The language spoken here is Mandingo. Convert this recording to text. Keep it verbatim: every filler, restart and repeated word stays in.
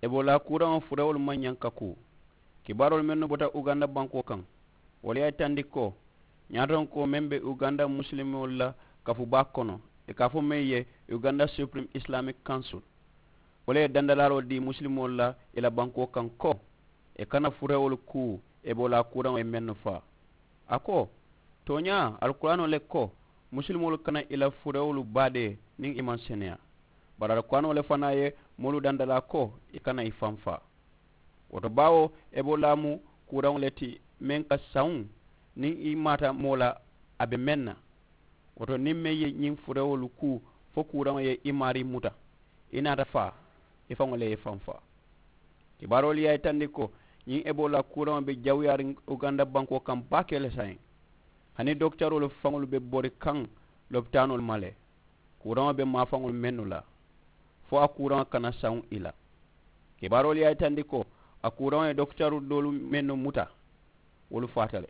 Ebola kuuraŋo furewolu maŋ ñaŋ ka kuu. Kibaaroolu mennu bota uganda bankoo kaŋ, wolu ye a yitandi ko ñaatonkoo meŋ be uganda musilimoolu la kafu baa kono, ì ka a fo meŋ ye uganda supreme islamic council, wo le ye dandalaaroo dii musilimoolu la ì la bankoo kaŋ ko ì kana furewolu kuu. Ebola kuuraŋo ye mennu faa, a ko tooñaa alkuraanoo le ko musilimoolu kana ì la furewolu baadee niŋ ì maŋ seneyaa. Bari alkuraanoo le fanaa ye moolu dandalaa ko ì kana ì faŋ faa. Wo to baawo ebola mu kuuraŋo le ti meŋ ka sawuŋ niŋ i maata moo la a be meŋ na. Wo to niŋ meŋ ye ñiŋ furewolu kuu fo kuuraŋo ye i maarii muta, i naata faa, i faŋo le ye i faŋ faa. Kibaaroolu ye a yitandi ko ñiŋ ebola kuuraŋo be jawuyaariŋ uganda bankoo kaŋ baake le saayiŋ. Hani dokitaroolu faŋolu be bori kaŋ lopitaanoolu ma le. Kuuraŋo be maafaŋolu mennu la fo a kuuraŋo kana sawuŋ i la. Kibaaroolu ye a yitandi ko a kuuraŋo ye dokitaru doolu mennu muta, wolu faata le.